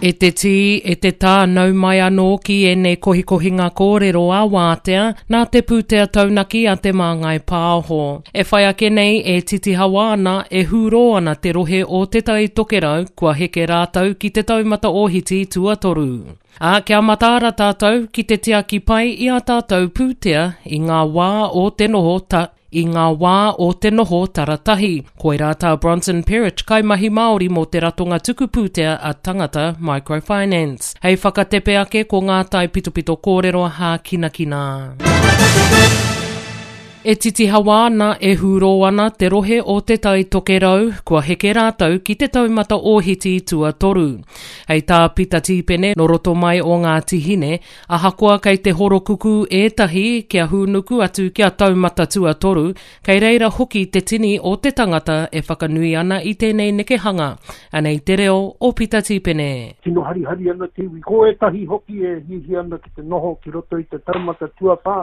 E te tī, e te tā, nau mai anō ki ēnei kohikohinga kōrero a Wātea, nā te pūtea taunaki a Te Māngai Pāho. E whai ake nei, e titihawa ana, e hūrō ana te rohe o Te Tai Tokerau, kua heke rātou ki te taumata ōhiti tuatoru. Ā, kia mataara tātou ki te tiaki pai i ā tātou pūtea i ngā wā o te noho ta, I ngā wā o te noho taratahi. Koirā tā Bronson Perich, kaimahi Māori mō te ratonga tuku pūtea a Tangata Microfinance. Hei whakatepe ake ko ngā taipitopito kōrero hākinakina. E titihawa ana, e hūrō ana te rohe o Te Tai Tokerau, kua heke rātou ki te taumata ōhiti tuatoru. Hei tā Pita Tīpene, nō roto mai o Ngāti Hine, Ahakoa kei te horokukū ētahi kia hūnuku atu kia taumata tuatoru, kei reira hoki te tini o te tangata e whakanui ana i tēnei nekehanga. Anei te reo o Pita Tīpene. Tino harihari ana te iwi. Ko ētahi hoki e hiahia ana ki te noho ki roto i te taumata tuawhā,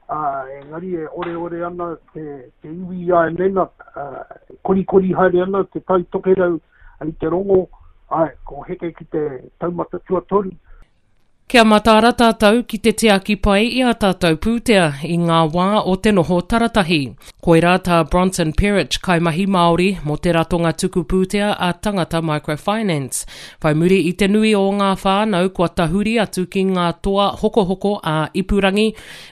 ā, engari e oreore ana te, te iwi i a Elena, ā, e korikori haere ana te Tai Tokerau i te rongo, āe, ko heke ki te taumata tuatoru. Kia mataara tātou ki te tiaki pai i ā tātou pūtea i ngā wā o te noho taratahi. Koirā tā Bronson Perich, kaimahi Māori mō te ratonga tuku pūtea a Tangata Microfinance. Whai muri i te nui o ngā whānau kua tahuri atu ki ngā toa hokohoko ā-ipurangi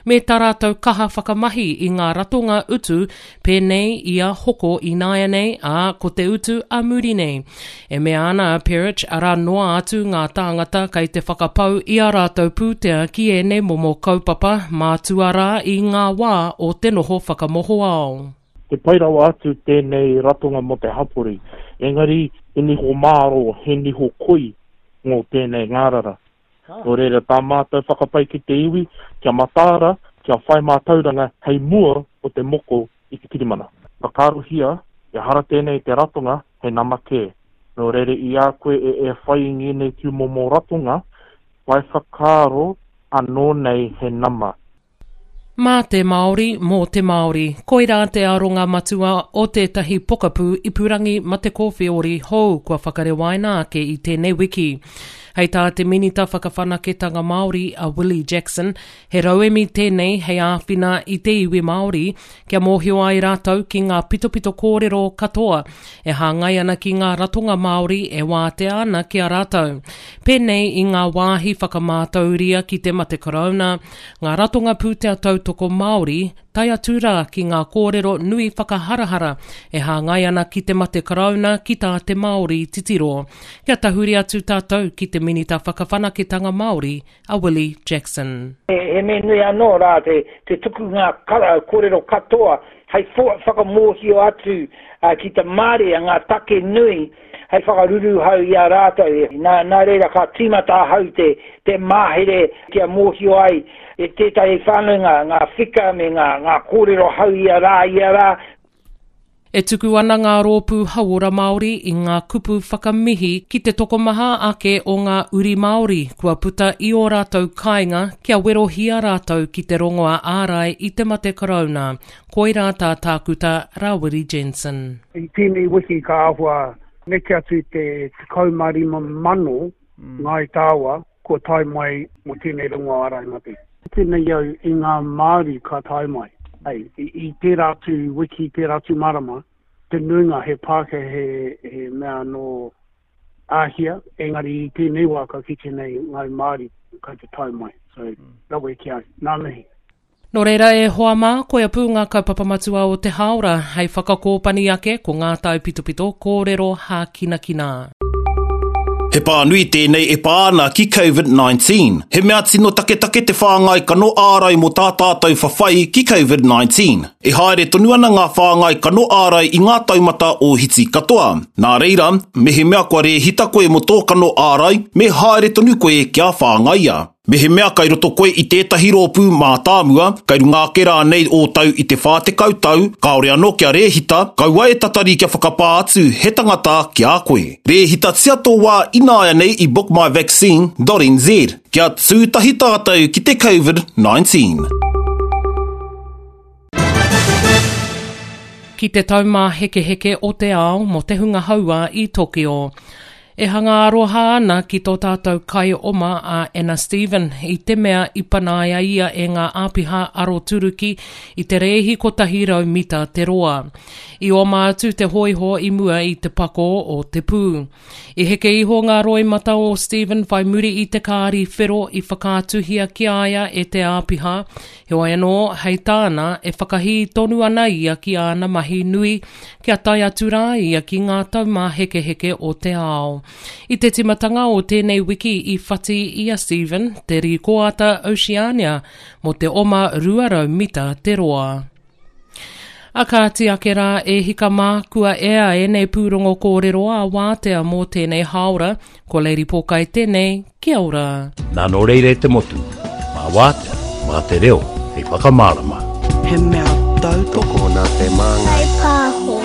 me tā rātou kaha whakamahi i ngā ratonga utu Pēnei i a hoko ināianei, ā, ko te utu a muri nei. E mea ana a Perich, arā noa atu ngā tāngata kei te whakapau i ā rātou pūtea ki ēnei momo kaupapa, mātua rā i ngā wā o te noho whakamohoao. He pai rawa atu tēnei ratonga mō te hapori, engari he niho mārō, he niho koi ngō tēnei ngārara. Nō reira tā mātou whakapai ki te iwi, kia mataara, kia whai mātauranga hei mua o te moko i te kirimana. Whakaarohia, ehara tēnei i te ratonga, he nama kē. Nō reira i a koe e e whai i ngēnei tūmomo ratonga, whai whakaaro anō nei he nama. Mā te Māori, mō te Māori. Koirā te aronga matua o tētahi pokapū ipurangi mate kōwheori hou kua whakarewaina ake i tēnei wiki. Hei tā te Minita Whakawhanaketanga Māori a Willie Jackson, he rauemi tēnei hei āwhina i te iwi Māori kia mōhio ai rātou ki ngā pitopito kōrero katoa e hāngai ana ki ngā ratonga Māori e wātea ana ki a rātou, pēnei i ngā wāhi whakamātauria ki te mate korouna, ngā ratonga pūtea tautoko Māori, tae atu rā ki ngā kōrero nui whakaharahara e hāngai ana ki te mate karauna ki tā te Māori titiro. Kia tahuri atu tātou ki te Minita Whakawhanaketanga Māori, a Willie Jackson. He mea nui anō rā te tuku ngā kōrero katoa hei whakamōhio atu ki te marea ngā take nui hei whakaruruhau i a rātou. Nā, nā reira ka tīmata ahau te, te mahere kia mōhio ai e tētahi whānau ngā, ngā whika me ngā, ngā kōrero hau ia rā, ia rā. E tuku ana ngā rōpū hauora Māori i ngā kupu whakamihi ki te tokomaha ake o ngā uri Māori kua puta i ō rātou kāinga kia werohia rātou ki te rongoā ārai i te mate karauna. Koirā tā Tākuta Rawiri Jensen. I tēnei wiki ka āhua neke atu i te 15,000 Ngāi Tāua kua tae mai mō tēnei rongoā ārai mate. Kite nei au i ngā Māori ka tae mai. Hei, i tērā atu wiki, tērā atu marama, te nuinga he Pākehā, he, he mea nō Āhia, engari i tēnei wā ka kite nei Ngāi Māori kai te tae mai. So, rawe ki au. Ngā mihi. Nō reira e hoa mā, koia pū ngā kaupapa matua o te hāora, hei whakakōpani ake ko ngā taipitopito kōrero hākinakina. He pānui tēnei e pā ana ki Covid 19. He mea tino taketake te whāngai kano ārai mō tā tātou whawhai ki Covid 19. E haere tonu ana ngā whāngai kano ārai i ngā taumata ōhiti katoa. Nā reira, mehemea kua rēhita koe mō tō kano ārai, me haere tonu koe kia whāngaia. Mehemea kai roto koe i tētahi rōpū mātāmua, kai runga ake rānei ō tau i te 40 tau, kāore anō kia rēhita, kaua e tatari kia whakapā atu he tangata ki a koe. Rēhitatia tō wā ināianei i bookmyvaccine dot nz. Kia tū tahi tātou ki te Covid 19. Ki te Taumāhekeheke o te Ao mō te Hunga Hauā i Tokyo. E hanga aroha ana ki tō tātou kaioma a Anna Stephen i te mea i panaia ia e ngā āpiha aroturuki i te rēhi 100 mita te roa. I oma atu te hōiho i mua i te pako o te pū. I heke iho ngā roimata o Stephen whai muri i te kāri whero i whakaatuhia ki a ia e te āpiha, heoi anō, hei tāna, e whakahī tonu ana ia ki āna mahi nui kia tae atu rā ia ki ngā taumāhekeheke o te ao. I te timatanga o tēnei wiki i whati i a Stephen te rīkoata Oceania mō te oma 200 mita te roa. A kāti ake rā e hika mā, kua ea ēnei pūrongo kōrero ā wātea mō tēnei hāora, ko Lady Pōkai tēnei, kia ora. Nā nō reira e te motu, mā wātea, mā te reo hei whakamārama. He mea tautoko. Tokona te māngai. Whai pāho.